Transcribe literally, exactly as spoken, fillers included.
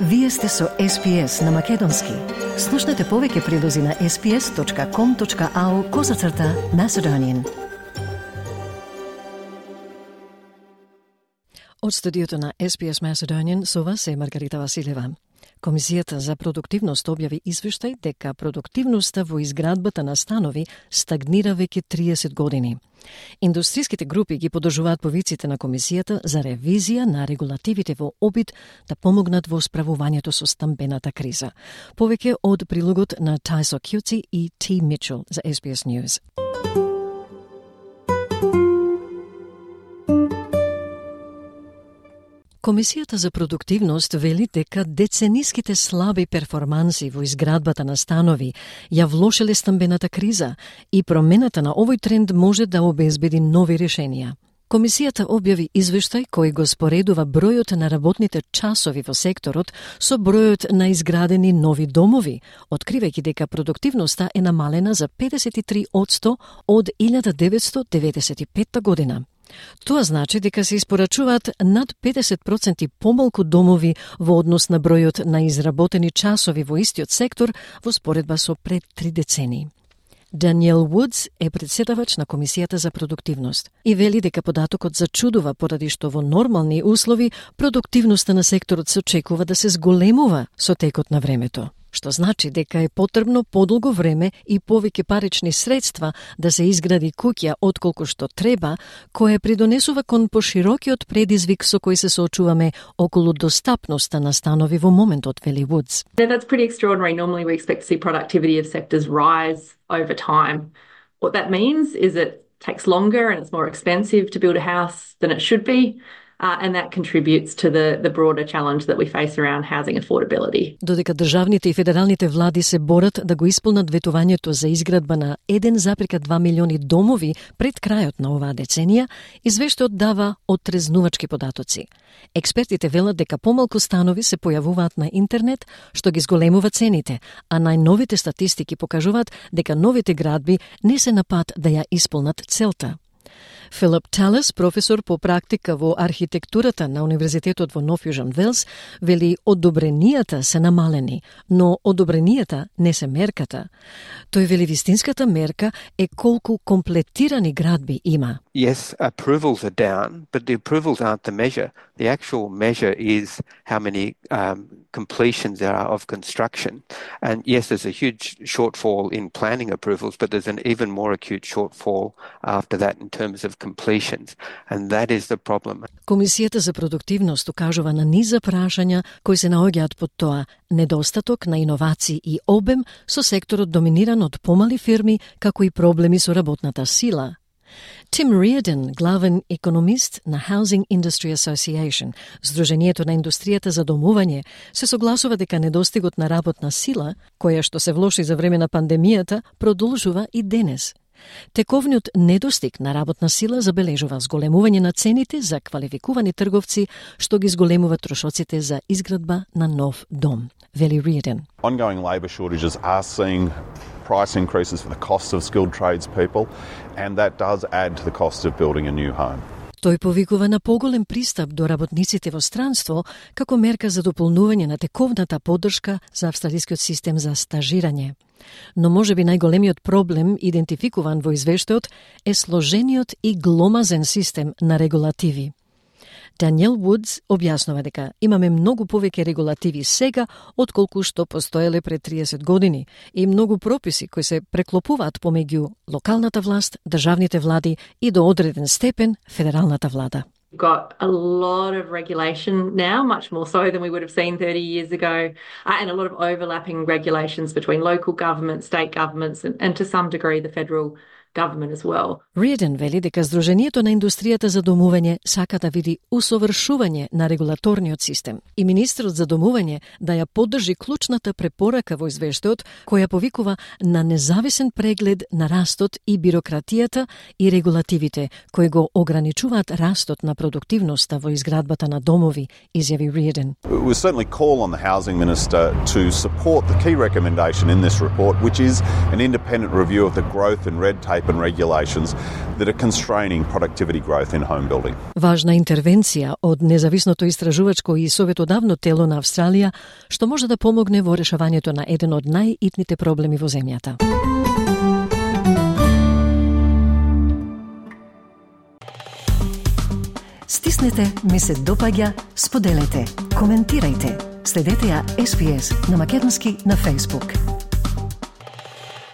Вие сте со Ес Пи Ес на Македонски. Слушнете повеќе прилози на ес пи ес точка ком точка ау козацрта Macedonian. Од студиото на Ес Пи Ес Macedonian со вас е Маргарита Василева. Комисијата за продуктивност објави извештај дека продуктивноста во изградбата на станови стагнира веќе триесет години. Индустријските групи ги подржуваат повиците на комисијата за ревизија на регулативите во обид да помогнат во справувањето со стамбената криза. Повеќе од прилогот на Тајсо Кјуци и Ти Мичел за Ес Би Ес News. Комисијата за продуктивност вели дека децениските слаби перформанси во изградбата на станови ја влошеле стамбената криза и промената на овој тренд може да обезбеди нови решенија. Комисијата објави извештај кој го споредува бројот на работните часови во секторот со бројот на изградени нови домови, откривајќи дека продуктивноста е намалена за педесет и три одсто од илјада деветстотини деветдесет и петта година. Тоа значи дека се испорачуваат над педесет проценти помалку домови во однос на бројот на изработени часови во истиот сектор во споредба со пред три децении. Даниел Вудс е претседавач на Комисијата за продуктивност и вели дека податокот зачудува поради што во нормални услови продуктивноста на секторот се очекува да се зголемува со текот на времето, што значи дека е потребно подолго време и повеќе парични средства да се изгради куќа отколку што треба, кое придонесува кон поширокиот предизвик со кој се соочуваме околу достапноста на станови во моментот, вели Вудс. That's pretty extraordinary. Normally we expect to see productivity of sectors rise over time. What that means is it takes longer and it's more expensive to build a house than it should be. Uh, and that contributes to the, the broader challenge that we face around housing affordability. Додека државните и федералните влади се борат да го исполнат ветувањето за изградба на еден зарез два милиони домови пред крајот на оваа деценија, извештајот дава оттрезнувачки податоци. Експертите велат дека помалку станови се појавуваат на интернет, што ги зголемува цените, а најновите статистики покажуваат дека новите градби не се на пат да ја исполнат целта. Филип Талес, професор по практика во архитектурата на Универзитетот во Нов Јужен Велс, вели одобренијата се намалени, но одобренијата не се мерката. Тој вели вистинската мерка е колку комплетирани градби има. Yes, approvals are down, but the approvals aren't the measure. The actual measure is how many um, completions there are of construction. And yes, there's a huge shortfall in planning approvals, but there's an even more acute shortfall after that in terms of completions. And that is the problem. Комисијата за продуктивност укажува на низа прашања кои се наоѓаат под тоа недостаток на иновации и обем со секторот доминиран од помали фирми, како и проблеми со работната сила. Тим Риордан, главен економист на Housing Industry Association, Сдруженијето на индустријата за домување, се согласува дека недостигот на работна сила, која што се влоши за време на пандемијата, продолжува и денес. Тековниот недостиг на работна сила забележува зголемување на цените за квалификувани трговци, што ги зголемува трошоците за изградба на нов дом, вели Риордан. Ongoing labour shortages are seeing price increases for the cost of skilled tradespeople, and that does add to the cost of building a new home. Тој повикува на поголем пристап до работниците во странство како мерка за дополнување на тековната поддршка за австралискиот систем за стажирање. Но можеби најголемиот проблем идентификуван во извештајот е сложениот и гломазен систем на регулативи. Даниел Вудс објаснува дека имаме многу повеќе регулативи сега отколку што постоеле пред триесет години и многу прописи кои се преклопуваат помеѓу локалната власт, државните влади и до одреден степен федералната влада. We've got a lot of regulation now, much more so than we would have seen thirty years ago, uh, and a lot of overlapping regulations between local governments, state governments, and, and to some degree the federal government as well. Риордан вели дека Сдруженијето на индустријата за домување сака да види усовршување на регулаторниот систем и министрот за домување да ја поддржи клучната препорака во извештајот која повикува на независен преглед на растот и бирократијата и регулативите кои го ограничуваат растот на продуктивноста во изградбата на домови, изјави Риордан. We certainly call on the Housing Minister to support the key recommendation in this report, which is an independent review of the growth and red tape and regulations that are constraining productivity growth in home building. Важна интервенција од независното истражувачко и советодавно тело на Австралија, што може да помогне во решавањето на еден од најитните проблеми во земјата. Стиснете, ми се допаѓа, споделете, коментирајте. Следете ја Ес Би Ес на македонски на Facebook.